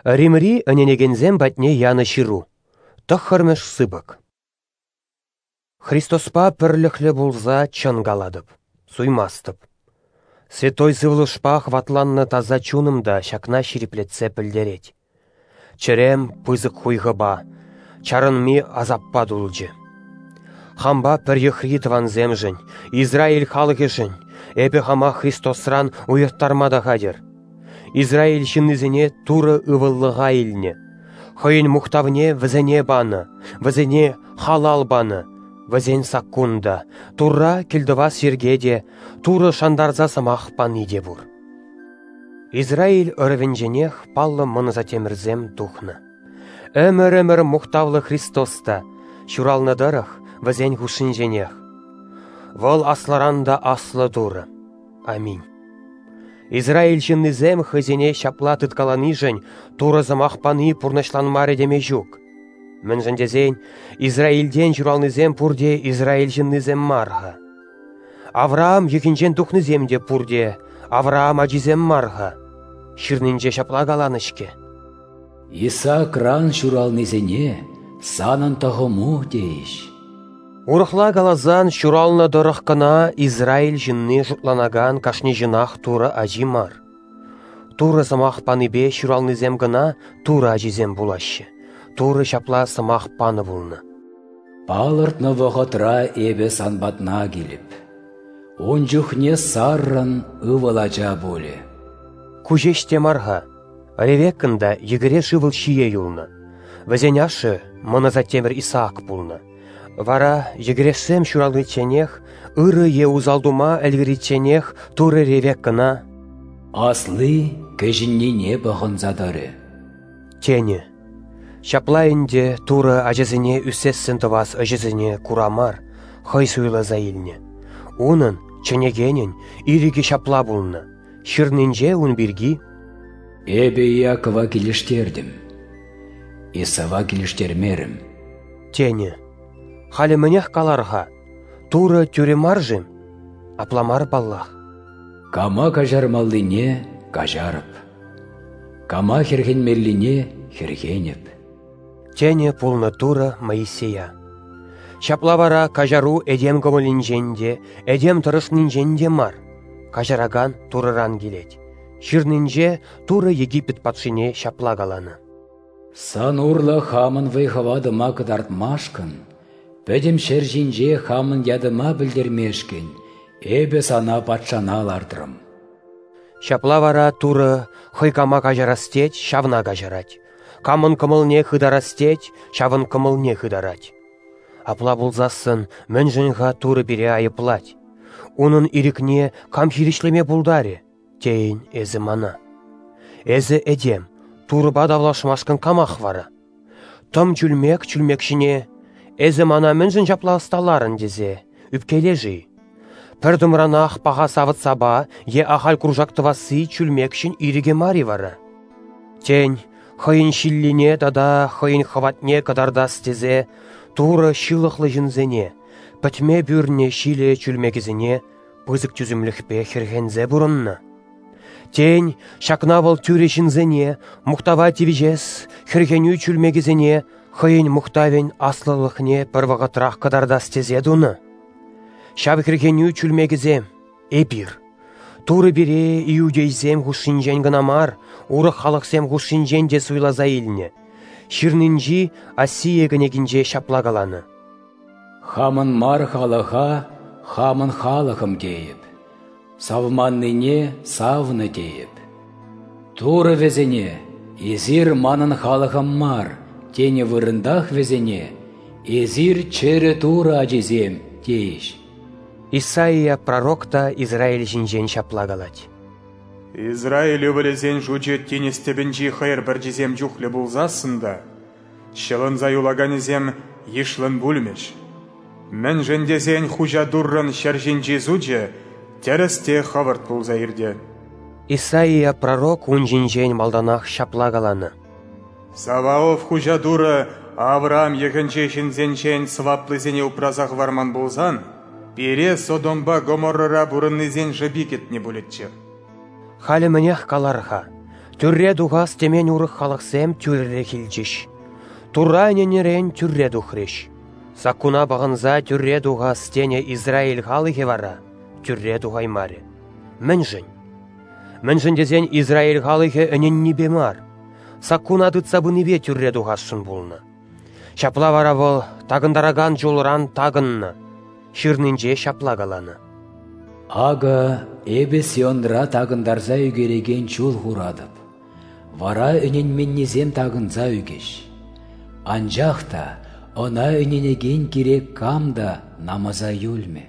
Римри ӗненекенсем патне янӑ ҫыру, тӑххӑрмӗш сыпӑк. Христоспа пӗрлӗхлӗ пулса чӑн калатӑп, суймастӑп. Святой Сывлӑшпа хӑватланнӑ таса чунӑм та ҫакна ҫирӗплетсе пӗлтерет. Чӗрем пысӑк хуйхӑпа, чарӑнми асаппа тулчӗ. Хампа пӗр йӑхри тӑвансемшӗн, Израиль халӑхӗшӗн эпӗ хама Христосран уйӑрттарма та хатӗр. Израиль ҫыннисене Турӑ ывӑллӑха илнӗ, хӑйӗн мухтавне вӗсене панӑ, вӗсене халал панӑ, вӗсен саккун та, Турра кӗлтӑвас йӗрке те, Турӑ шантарса сӑмах пани те пур. Израиль ӑрӑвӗнченех паллӑ мӑн асаттемӗрсем тухнӑ. Ӗмӗр-ӗмӗр мухтавлӑ Христос та ҫуралнӑ тӑрӑх вӗсен хушшинченех. Вӑл аслӑран та аслӑ Турӑ. Аминь. Израиль ҫыннисем хӑйсене ҫапла тыткаланишӗн Турӑ сӑмах пани пурнӑҫланмарӗ теме ҫук. Мӗншӗн тесен Израильтен ҫуралнисем пурте Израиль ҫыннисем мар-ха. Авраам йӑхӗнчен тухнисем те пурте Авраам ачисем мар-ха. Ҫырнинче ҫапла каланӑ-ҫке. Исаакран ҫуралнисене санӑн тӑхӑму тейӗҫ. Урӑхла каласан, ҫуралнӑ тӑрӑх кӑна Израиль ҫынни шутланакан кашни ҫынах Турӑ ачи мар. Турӑ сӑмах панипе ҫуралнисем кӑна Турӑ ачисем пулаҫҫӗ. Турӑ ҫапла сӑмах панӑ пулнӑ. Палӑртнӑ вӑхӑтра эпӗ сан патна килӗп. Ун чухне Саррӑн ывӑл ача пулӗ. Ку ҫеҫ те мар-ха. Ревеккӑн та йӗкӗреш ывӑл ҫие юлнӑ. Вӗсен ашшӗ мӑн асаттемӗр Исаак пулнӑ. Вара йӗкӗрешсем ҫураличченех, ырӑ е усал тума ӗлкӗричченех Турӑ Ревеккӑна «Асли кӗҫӗннине пӑхӑнса тӑрӗ» тенӗ. Ҫапла ӗнтӗ Турӑ ачасене ӳсессӗн тӑвас ӗҫӗсене кура мар, хӑй суйласа илнӗ. Унӑн, чӗнекенӗн, ирӗкӗ ҫапла пулнӑ. Ҫырнинче ун пирки «Эпӗ Иакова килӗштертӗм, Исава килӗштермерӗм» тенӗ. Халӗ мӗнех калар-ха? Турӑ тӳрӗ мар-шим? Апла мар паллах. Кама каҫармаллине каҫарӑп, кама хӗрхенмеллине хӗрхенӗп. Тенӗ пулнӑ Турӑ Моисея. Ҫапла вара каҫару этем кӑмӑлӗнчен те, этем тӑрӑшнинчен те мар, каҫаракан Турӑран килет. Ҫырнинче Турӑ Египет патшине ҫапла каланӑ. Сан урлӑ хамӑн вӑй-хӑватӑма кӑтартмашкӑн, пӗтӗм ҫӗр ҫинче хамӑн ятӑма пӗлтермешкӗн эпӗ сана патшана лартрӑм. Ҫапла вара Турӑ хӑй кама каҫарас тет, ҫавна каҫарать. Камӑн кӑмӑлне хытарас тет, ҫавӑн кӑмӑлне хытарать. Апла пулсассӑн мӗншӗн-ха Турӑ пире айӑплать? Унӑн ирӗкне кам хирӗҫлеме пултарӗ, тейӗн эсӗ мана. Эсӗ этем, Турӑпа тавлашмашкӑн камах вара? Тӑм чӳлмек чӳлмек ҫине «Эсӗ мана мӗншӗн ҫапла ӑсталарӑн?» тесе ӳпкелешӗ-и? Пӗр тӑмранах паха савӑт-сапа е ахаль куршак тӑвасси чӳлмекҫӗн ирӗкӗ мар-и вара? Тен, хӑйӗн ҫиллине тата хӑйӗн хӑватне кӑтартас тесе Турӑ ҫылӑхлӑ ҫынсене, пӗтме пӳрнӗ ҫилӗ чӳлмекӗсене пысӑк тӳсӗмлӗхпе хӗрхенсе пурӑннӑ? Тен, ҫакна вӑл тӳрӗ ҫынсене, мухтава тивӗҫес хӗрхенӳ чӳлмекӗсене хӑйӗн мухтавӗн аслӑлӑхне пӗр вӑхӑтрах кӑтартас тесе тунӑ? Ҫав хӗрхенӳ чӳлмекӗсем эпир. Турӑ пире иудейсем хушшинчен кӑна мар, урӑх халӑхсем хушшинчен те суйласа илнӗ. Ҫырнинчи Осия кӗнекинче ҫапла каланӑ. Хамӑн мар халӑха хамӑн халӑхӑм тейӗп, савманнине савнӑ тейӗп. Турӑ вӗсене «Эсир манӑн халӑхӑм мар» тенӗ вырӑнтах вӗсене «Эсир чӗрӗ Турӑ ачисем» тейӗҫ. Исаия пророк та Израиль ҫинчен ҫапла калать. Израиль ывӑлӗсен шучӗ тинӗс тӗпӗнчи хӑйӑр пӗрчисем чухлӗ пулсассӑн та, ҫӑлӑнса юлаканӗсем йышлӑн пулмӗҫ. Мӗншӗн тесен Хуҫа Туррӑн ҫӗр ҫинчи сучӗ тӗрӗс те хӑвӑрт пулса иртӗ. Исаия пророк ун ҫинчен малтанах ҫапла каланӑ. Саваоф Хуҫа Турӑ Авраам йӑхӗнчи ҫынсенчен сӑваплисене упраса хӑварман пулсан, пире Содомпа Гоморрӑра пурӑннисен шӑпи кӗтнӗ пулӗччӗ. Халӗ мӗнех калар-ха? Тӳрре тухас темен урӑх халӑхсем тӳрӗлӗх илчӗҫ. Турра ӗненнӗрен тӳрре тухрӗҫ. Саккуна пӑхӑнса тӳрре тухас тенӗ Израиль халӑхӗ вара тӳрре тухаймарӗ. Мӗншӗн? Мӗншӗн тесен Израиль халӑхӗ ӗненнипе мар, саккуна тытса пынипе тӳрре тухасшӑн пулнӑ. Ҫапла вара вӑл такӑнтаракан чулран такӑннӑ. Ҫырнинче ҫапла каланӑ: Акӑ эпӗ Сионра такӑнтарса ӳкерекен чул хуратӑп. Вара ӗненменнисем такӑнса ӳкӗҫ. Анчах та ӑна ӗненекен кирек кам та намӑса юлмӗ.